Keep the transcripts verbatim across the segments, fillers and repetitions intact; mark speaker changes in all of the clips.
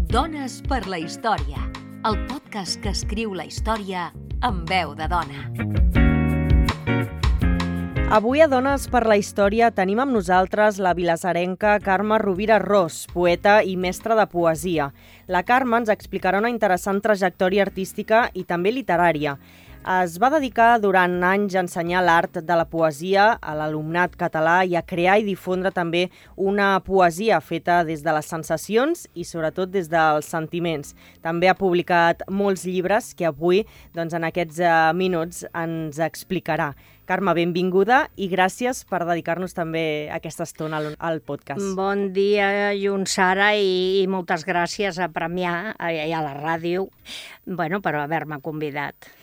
Speaker 1: Dones per la història, el podcast que escriu la història amb veu de dona.
Speaker 2: Avui a Dones per la història tenim amb nosaltres la vilassarenca Carme Rovira Ros, poeta i mestra de poesia. La Carme ens explicarà una interessant trajectòria artística i també literària. Es va dedicar durant anys a ensenyar l'art de la poesia a l'alumnat català i a crear i difondre també una poesia feta des de les sensacions i sobretot des dels sentiments. També ha publicat molts llibres que avui, doncs, en aquests minuts ens explicarà. Carme, benvinguda i gràcies per dedicar-nos també aquesta estona al, al podcast.
Speaker 3: Bon dia, Junsara, i, i moltes gràcies a Premià i a la ràdio, bueno, per haver-me convidat.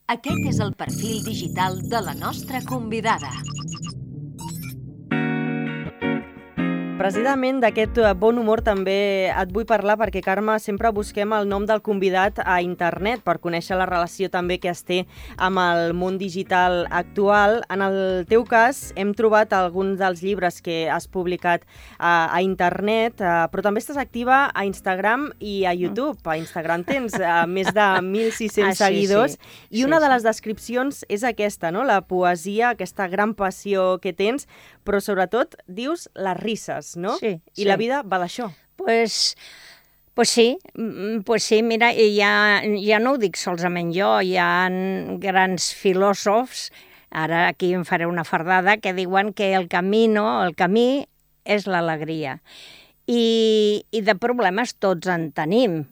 Speaker 1: Aquest és el perfil digital de la nostra convidada.
Speaker 2: Precisament d'aquest bon humor també et vull parlar perquè, Carme, sempre busquem el nom del convidat a internet per conèixer la relació també que es té amb el món digital actual. En el teu cas hem trobat alguns dels llibres que has publicat a, a internet, uh, però també estàs activa a Instagram i a YouTube. A Instagram tens uh, més de mil sis-cents
Speaker 3: ah, sí,
Speaker 2: seguidors
Speaker 3: sí.
Speaker 2: i una sí, de les descripcions és aquesta, no? La poesia, aquesta gran passió que tens, però sobretot dius les risses, no?
Speaker 3: Sí,
Speaker 2: I
Speaker 3: sí.
Speaker 2: la vida va d'això.
Speaker 3: Pues, pues sí, pues sí, mira, ja, ja no ho dic solament jo, hi ha grans filòsofs, ara aquí em faré una fardada, que diuen que el camino, el camí és l'alegria. I, I de problemes tots en tenim.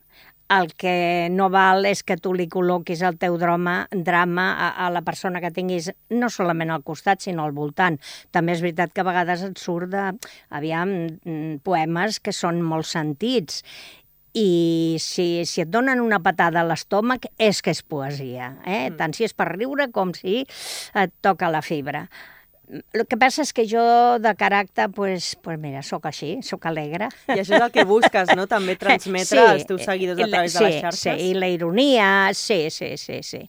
Speaker 3: El que no val és que tu li col·loquis el teu drama, drama a, a la persona que tinguis no solament al costat, sinó al voltant. També és veritat que a vegades et surt de, aviam, poemes que són molt sentits. I si, si et donen una patada a l'estómac és que és poesia, eh? Mm. Tant si és per riure com si et toca la fibra. El que passa és que jo, de caràcter, pues, pues mira, sóc així, sóc alegre.
Speaker 2: I això és el que busques, no? També transmetre sí, als teus seguidors a través
Speaker 3: sí,
Speaker 2: de les xarxes.
Speaker 3: Sí, i la ironia, sí, sí, sí. sí.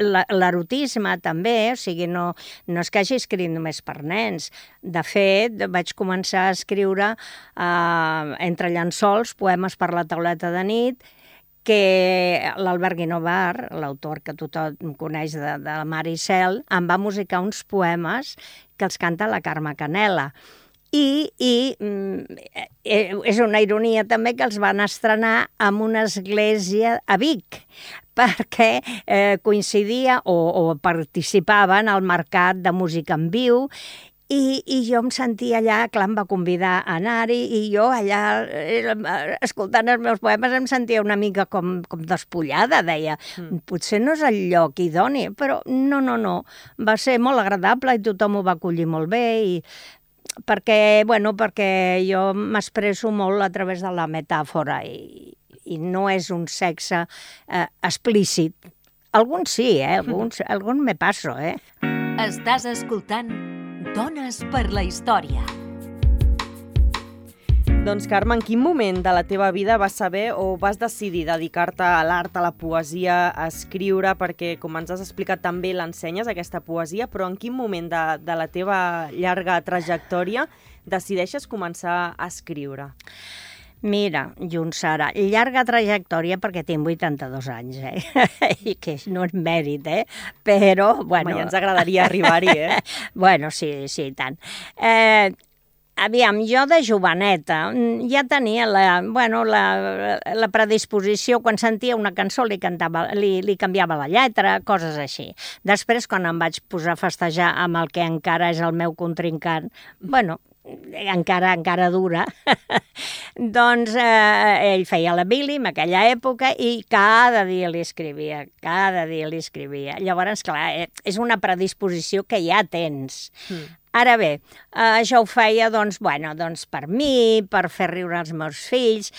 Speaker 3: L'erotisme també, o sigui, no, no és que hagi escrit només per nens. De fet, vaig començar a escriure eh, entre llençols, poemes per la tauleta de nit, que l'Albert Guinovar, l'autor que tothom coneix de, de Mar i Cel, em va musicar uns poemes que els canta la Carme Canela. I, i mm, és una ironia també que els van estrenar en una església a Vic, perquè eh, coincidia o, o participaven al mercat de música en viu. I, I jo em sentia allà, clar, em va convidar a anar-hi, i jo allà, escoltant els meus poemes, em sentia una mica com, com despullada, deia. Mm. Potser no és el lloc idoni, però no, no, no. Va ser molt agradable i tothom ho va acollir molt bé, i perquè, bueno, perquè jo m'expresso molt a través de la metàfora, i, i no és un sexe eh, explícit. Alguns sí, eh? Alguns, mm. alguns me passo, eh?
Speaker 1: Estàs escoltant Dones per la història.
Speaker 2: Doncs, Carme, en quin moment de la teva vida vas saber o vas decidir dedicar-te a l'art, a la poesia, a escriure, perquè, com ens has explicat, també l'ensenyes, aquesta poesia, però en quin moment de, de la teva llarga trajectòria decideixes començar a escriure?
Speaker 3: Mira, Junsara, llarga trajectòria perquè tinc vuitanta-dos anys, eh? I que no és mèrit, eh? Però, bueno...
Speaker 2: Home, ja ens agradaria arribar-hi, eh?
Speaker 3: Bueno, sí, sí, tant. Eh, aviam, jo de joveneta ja tenia la, bueno, la, la predisposició, quan sentia una cançó li, cantava, li, li canviava la lletra, coses així. Després, quan em vaig posar a festejar amb el que encara és el meu contrincant, bueno... encara encara dura, doncs eh, ell feia la Billy en aquella època i cada dia li escrivia, cada dia li escrivia. Llavors, clar, és una predisposició que ja tens. Mm. Ara bé, eh, això ho feia doncs, bueno, doncs per mi, per fer riure els meus fills.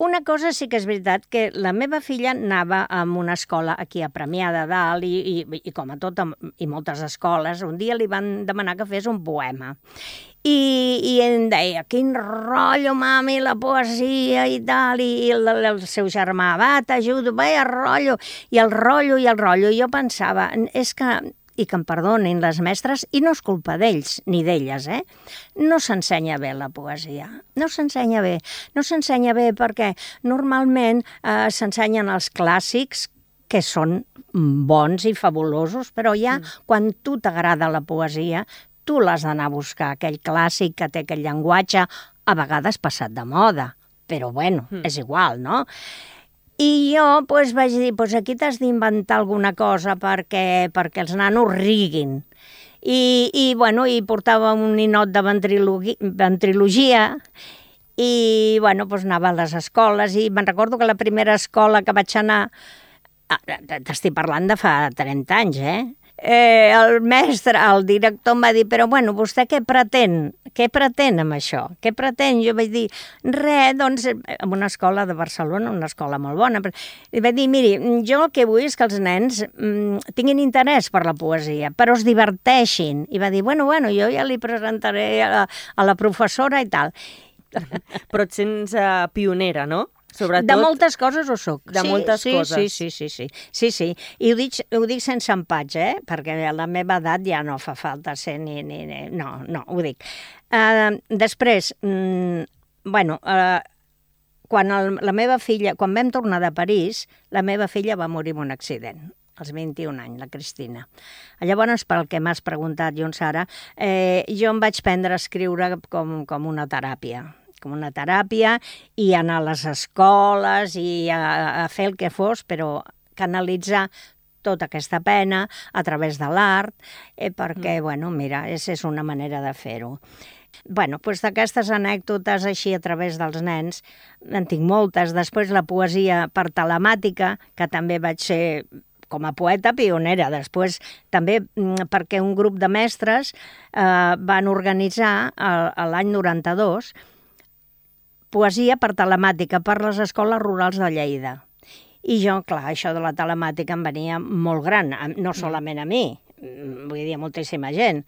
Speaker 3: Una cosa sí que és veritat, que la meva filla anava a una escola aquí a Premià de Dalt i, i, i com a tot, i moltes escoles, un dia li van demanar que fes un poema. I, i em deia, quin rotllo, mami, la poesia i tal, i el, el seu germà, va, t'ajudo, va, el rotllo, i el rotllo, i el rotllo. I jo pensava, és que i que em perdonin les mestres, i no és culpa d'ells ni d'elles, eh? No s'ensenya bé la poesia, no s'ensenya bé. No s'ensenya bé perquè normalment eh, s'ensenyen els clàssics, que són bons i fabulosos, però ja mm. quan tu t'agrada la poesia, tu l'has d'anar a buscar, aquell clàssic que té aquell llenguatge, a vegades passat de moda, però bueno, mm. és igual, no? I jo pues, vaig dir, pues, aquí t'has d'inventar alguna cosa perquè, perquè els nanos riguin. I, i, bueno, i portava un ninot de ventrilogia i bueno, pues, anava a les escoles i me'n recordo que la primera escola que vaig anar, t'estic parlant de fa trenta anys, eh? Eh, el mestre, el director em va dir, però bueno, vostè què pretén? Què pretén amb això? Què pretén? Jo vaig dir, res, doncs, en una escola de Barcelona, una escola molt bona, i vaig dir, miri, jo el que vull és que els nens mm, tinguin interès per la poesia, però es diverteixin. I va dir, bueno, bueno, jo ja li presentaré a la, a la professora i tal.
Speaker 2: Però et sents uh, pionera, no? Sobretot...
Speaker 3: De moltes coses ho soc.
Speaker 2: De
Speaker 3: sí,
Speaker 2: moltes
Speaker 3: sí,
Speaker 2: coses.
Speaker 3: Sí, sí, sí, sí. sí, sí. I ho dic, ho dic sense empatx, eh? Perquè a la meva edat ja no fa falta ser ni... ni, ni... No, no, ho dic. Uh, després, mm, bueno, uh, quan el, la meva filla... Quan vam tornar de París, la meva filla va morir en un accident, als vint-i-un anys, la Cristina. Llavors, pel que m'has preguntat, Jon Sara, eh, jo em vaig prendre a escriure com, com una teràpia. com una teràpia, i anar a les escoles i a, a fer el que fos, però canalitzar tota aquesta pena a través de l'art, eh, perquè, mm. bueno, mira, és, és una manera de fer-ho. Bueno, doncs d'aquestes anècdotes així a través dels nens, en tinc moltes. Després la poesia per telemàtica, que també vaig ser com a poeta pionera. Després també perquè un grup de mestres eh, van organitzar l'any noranta-dos poesia per telemàtica per les escoles rurals de Lleida. I jo, clar, això de la telemàtica em venia molt gran, no solament a mi, vull dir, a moltíssima gent.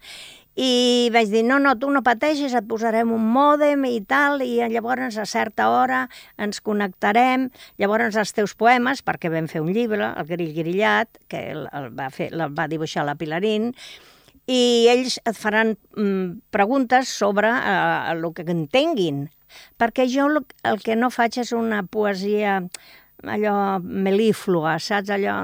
Speaker 3: I vaig dir, no, no, tu no pateixis, et posarem un mòdem i tal, i llavors a certa hora ens connectarem, llavors els teus poemes, perquè vam fer un llibre, El grill grillat, que el, el, va, fer, el va dibuixar la Pilarín, i ells et faran mm, preguntes sobre eh, el que entenguin, perquè jo el que no faig és una poesia allò melíflua, saps? Allò...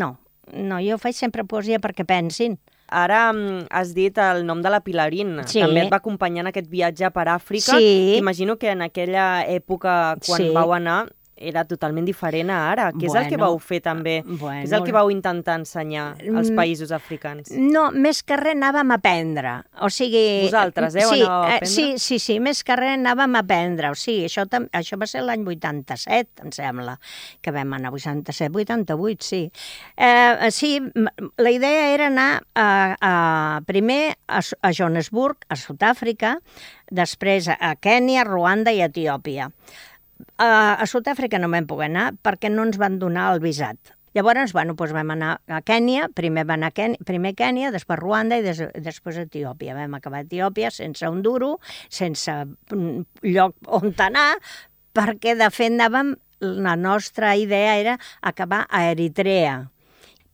Speaker 3: No, no, jo faig sempre poesia perquè pensin.
Speaker 2: Ara has dit el nom de la Pilarín,
Speaker 3: sí.
Speaker 2: També et va acompanyar en aquest viatge per Àfrica.
Speaker 3: Sí.
Speaker 2: Imagino que en aquella època, quan
Speaker 3: sí.
Speaker 2: vau anar, era totalment diferent a ara. Què és
Speaker 3: bueno,
Speaker 2: el que vau fer també?
Speaker 3: Bueno,
Speaker 2: Què és el que vau intentar ensenyar als països africans?
Speaker 3: No, més que res anàvem a aprendre. O sigui...
Speaker 2: Vosaltres, eh?
Speaker 3: Sí,
Speaker 2: anàveu a aprendre?
Speaker 3: Sí, sí, sí, més que res anàvem a aprendre. O sigui, això, això va ser l'any vuitanta-set, em sembla, que vam anar, vuitanta-set, vuitanta-vuit, sí. Eh, sí, la idea era anar a, a, primer a, a Johannesburg, a Sud-àfrica, després a Kènia, Ruanda i Etiòpia. Uh, a Sud-àfrica no vam poder anar perquè no ens van donar el visat. Llavors, bueno, doncs vam anar a Kènia, primer va anar a Kènia, primer Kènia, després Ruanda i des, després Etiòpia. Vam acabar a Etiòpia sense un duro, sense lloc on anar, perquè de fet anàvem, la nostra idea era acabar a Eritrea.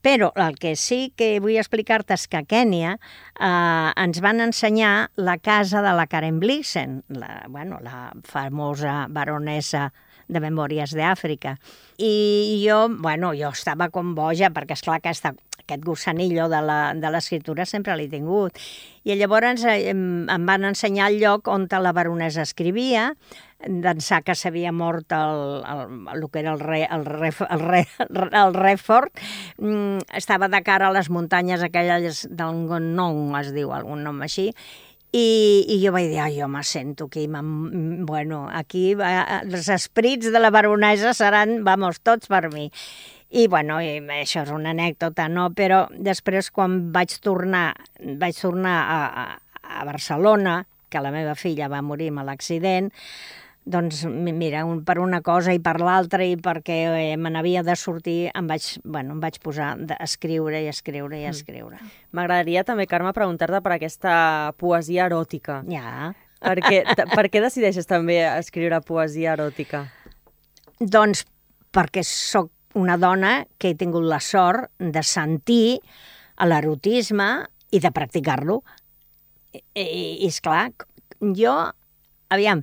Speaker 3: Però el que sí que vull explicar-te és que a Kènia eh, ens van ensenyar la casa de la Karen Blixen, la, bueno, la famosa baronessa de Memòries d'Àfrica. I jo, bueno, jo estava com boja, perquè esclar, aquesta, aquest gossanillo de l'escriptura sempre l'he tingut. I llavors em, em van ensenyar el lloc on la baronessa escrivia, d'ençà que s'havia mort el, el, el que era el rei, el rei, el rei, el rei fort, mm, estava de cara a les muntanyes aquelles del Ngon, es diu, algun nom així, i, i jo vaig dir, ai, jo me sento aquí, bueno, aquí va, els esprits de la baronesa seran, vamos, tots per mi. I, bueno, i això és una anècdota, no? Però després, quan vaig tornar, vaig tornar a, a, a Barcelona, que la meva filla va morir amb l'accident, doncs, mira, un per una cosa i per l'altra, i perquè eh, me n'havia de sortir, em vaig, bueno, em vaig posar a escriure i escriure i escriure.
Speaker 2: M'agradaria també, Carme, preguntar-te per aquesta poesia eròtica.
Speaker 3: Ja.
Speaker 2: Per què, per què decideixes també escriure poesia eròtica?
Speaker 3: Doncs perquè sóc una dona que he tingut la sort de sentir a l'erotisme i de practicar-lo. I, i esclar, jo, aviam,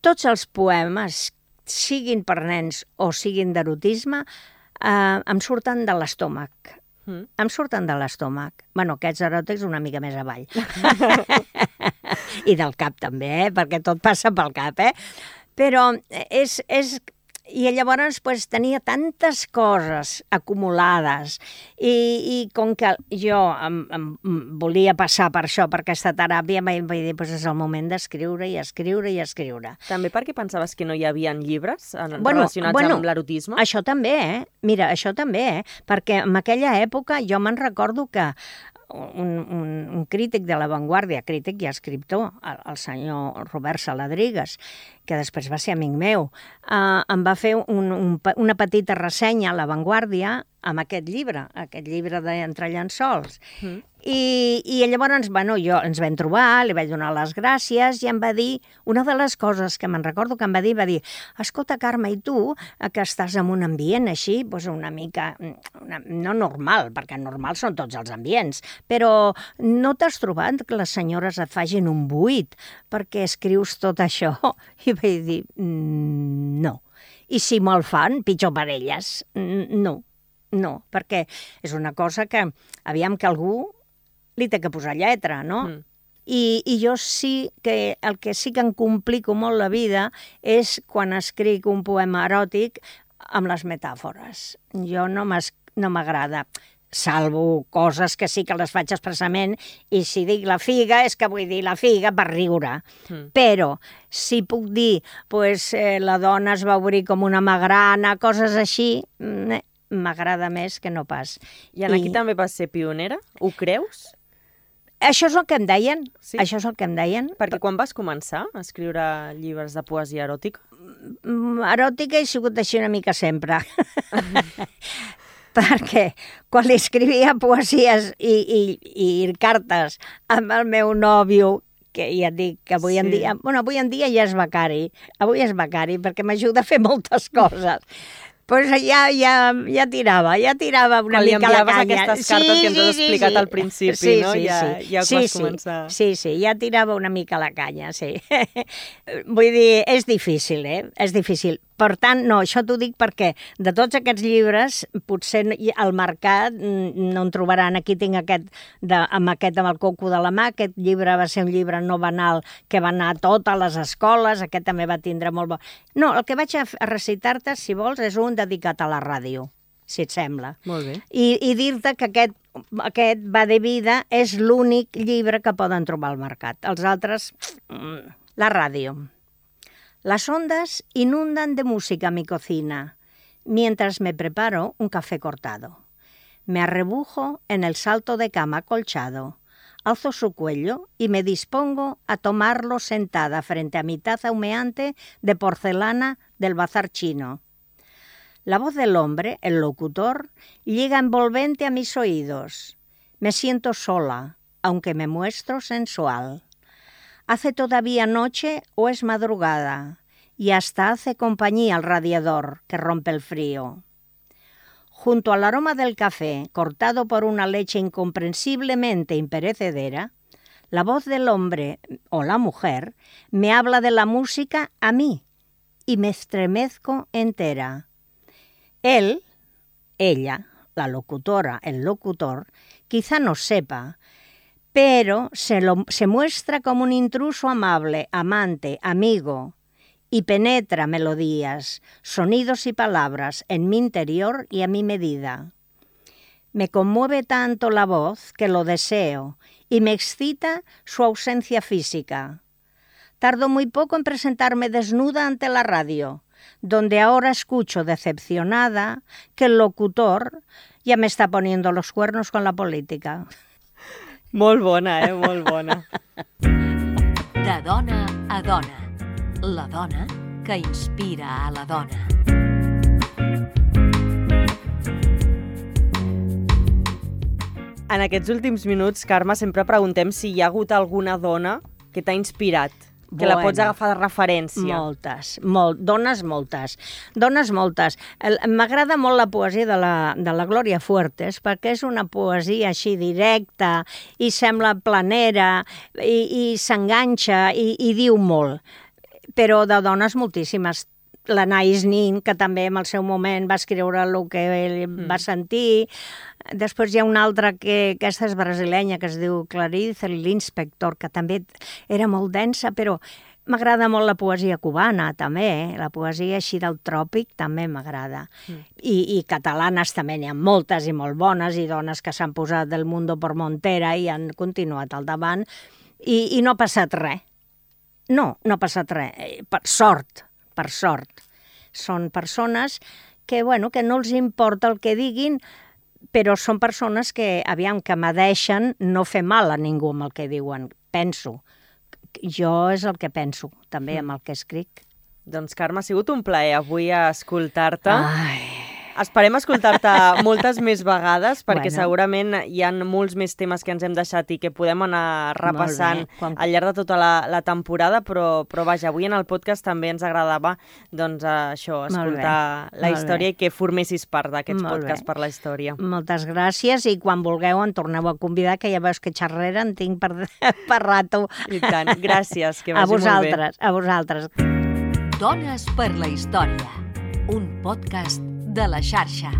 Speaker 3: tots els poemes, siguin per nens o siguin d'erotisme, eh, em surten de l'estómac. Mm. Em surten de l'estómac. Bueno, aquests eròtics una mica més avall. I del cap també, eh? Perquè tot passa pel cap, eh? Però és... és... I llavors pues, tenia tantes coses acumulades i, i com que jo em, em volia passar per això, per aquesta teràpia, vaig dir, pues, és el moment d'escriure i escriure i escriure.
Speaker 2: També perquè pensaves que no hi havia llibres en,
Speaker 3: bueno,
Speaker 2: relacionats
Speaker 3: bueno,
Speaker 2: amb l'erotisme?
Speaker 3: Això també, eh? Mira, això també, eh? Perquè en aquella època jo me'n recordo que un, un, un crític de La Vanguardia, crític i escriptor, el, el senyor Robert Saladrigas, que després va ser amic meu, eh, em va fer un, un, una petita ressenya a La Vanguardia amb aquest llibre, aquest llibre d'Entre llençols. Mm. I, I llavors, bueno, jo ens vam trobar, li vaig donar les gràcies i em va dir, una de les coses que me'n recordo que em va dir, va dir, escolta, Carme, i tu, que estàs en un ambient així, doncs una mica, una, no normal, perquè normal són tots els ambients, però no t'has trobat que les senyores et facin un buit perquè escrius tot això? I vaig dir, mm, no. I si me'l fan, pitjor per elles. No, no, perquè és una cosa que, aviam que algú li té que posar lletra, no? Mm. I, I jo sí que, el que sí que em complico molt la vida és quan escric un poema eròtic amb les metàfores. Jo no m'agrada, salvo coses que sí que les faig expressament, i si dic la figa és que vull dir la figa per riure. Mm. Però si puc dir, pues, eh, la dona es va obrir com una magrana, coses així, m'agrada més que no pas.
Speaker 2: I en aquí I... també vas ser pionera? Ho creus?
Speaker 3: Això és el que em deien, sí? Això és el que em deien.
Speaker 2: Perquè quan vas començar a escriure llibres de poesia eròtica?
Speaker 3: Eròtica he sigut així una mica sempre. Perquè quan li escrivia poesies i, i, i cartes amb el meu nòvio, que ja et dic que avui sí. en dia... Bueno, avui en dia ja és becari. Avui és becari perquè m'ajuda a fer moltes coses. Pues ja, ja, ja tirava, ja tirava una
Speaker 2: quan
Speaker 3: mica la canya.
Speaker 2: Quan li enviaves aquestes cartes sí, que ens has sí, explicat sí. al principi,
Speaker 3: sí,
Speaker 2: no?
Speaker 3: Sí,
Speaker 2: ja,
Speaker 3: sí.
Speaker 2: ja
Speaker 3: sí,
Speaker 2: vas
Speaker 3: sí.
Speaker 2: començar...
Speaker 3: Sí, sí, ja tirava una mica la canya, sí. Vull dir, és difícil, eh? És difícil. Per tant, no, això t'ho dic perquè de tots aquests llibres, potser al mercat no en trobaran. Aquí tinc aquest, de, amb aquest amb el coco de la mà, aquest llibre va ser un llibre no banal que va anar a totes les escoles, aquest també va tindre molt bo. No, el que vaig a recitar-te, si vols, és un dedicat a la ràdio, si et sembla.
Speaker 2: Molt bé.
Speaker 3: I, i dir-te que aquest, aquest Va de vida és l'únic llibre que poden trobar al mercat. Els altres, la ràdio. Las ondas inundan de música mi cocina, mientras me preparo un café cortado. Me arrebujo en el salto de cama acolchado, alzo su cuello y me dispongo a tomarlo sentada frente a mi taza humeante de porcelana del bazar chino. La voz del hombre, el locutor, llega envolvente a mis oídos. Me siento sola, aunque me muestro sensual. Hace todavía noche o es madrugada, y hasta hace compañía al radiador que rompe el frío. Junto al aroma del café, cortado por una leche incomprensiblemente imperecedera, la voz del hombre o la mujer me habla de la música a mí y me estremezco entera. Él, ella, la locutora, el locutor, quizá no sepa, pero se, lo, se muestra como un intruso amable, amante, amigo, y penetra melodías, sonidos y palabras en mi interior y a mi medida. Me conmueve tanto la voz que lo deseo y me excita su ausencia física. Tardo muy poco en presentarme desnuda ante la radio, donde ahora escucho decepcionada que el locutor ya me está poniendo los cuernos con la política.
Speaker 2: Molt bona, eh? Molt bona.
Speaker 1: De dona a dona. La dona que inspira a la dona.
Speaker 2: En aquests últims minuts, Carme, sempre preguntem si hi ha hagut alguna dona que t'ha inspirat Que la pots agafar de referència.
Speaker 3: Moltes, molt, dones moltes, dones moltes. M'agrada molt la poesia de la, de la Glòria Fuertes, perquè és una poesia així directa i sembla planera i, i s'enganxa i, i diu molt. Però de dones moltíssimes. L'Anais Nin, que també en el seu moment va escriure el que ell mm. va sentir. Després hi ha una altra que aquesta és brasilenya, que es diu Clarice l'Inspector, que també era molt densa, però m'agrada molt la poesia cubana, també. Eh? La poesia així del tròpic també m'agrada. Mm. I, I catalanes també n'hi ha moltes i molt bones, i dones que s'han posat del Mundo por Montera i han continuat al davant, i, i no ha passat res. No, no ha passat res. Per sort. per sort. Són persones que, bueno, que no els importa el que diguin, però són persones que, aviam, que m'adeixen no fer mal a ningú amb el que diuen. Penso. Jo és el que penso, també, amb el que escric.
Speaker 2: Doncs, Carme, ha sigut un plaer avui escoltar-te.
Speaker 3: Ai...
Speaker 2: Esperem escoltar-te moltes més vegades, perquè
Speaker 3: bueno.
Speaker 2: segurament hi ha molts més temes que ens hem deixat i que podem anar repassant
Speaker 3: Quan...
Speaker 2: al llarg de tota la, la temporada, però, però vaja, avui en el podcast també ens agradava doncs, això, escoltar la història i que formessis part d'aquests podcasts per la història.
Speaker 3: Moltes gràcies, i quan vulgueu en torneu a convidar, que ja veus que xerrera en tinc per, per rato.
Speaker 2: I tant, gràcies, que vagi
Speaker 3: a vosaltres,
Speaker 2: molt bé.
Speaker 3: A vosaltres.
Speaker 1: Dones per la història, un podcast de la xarxa.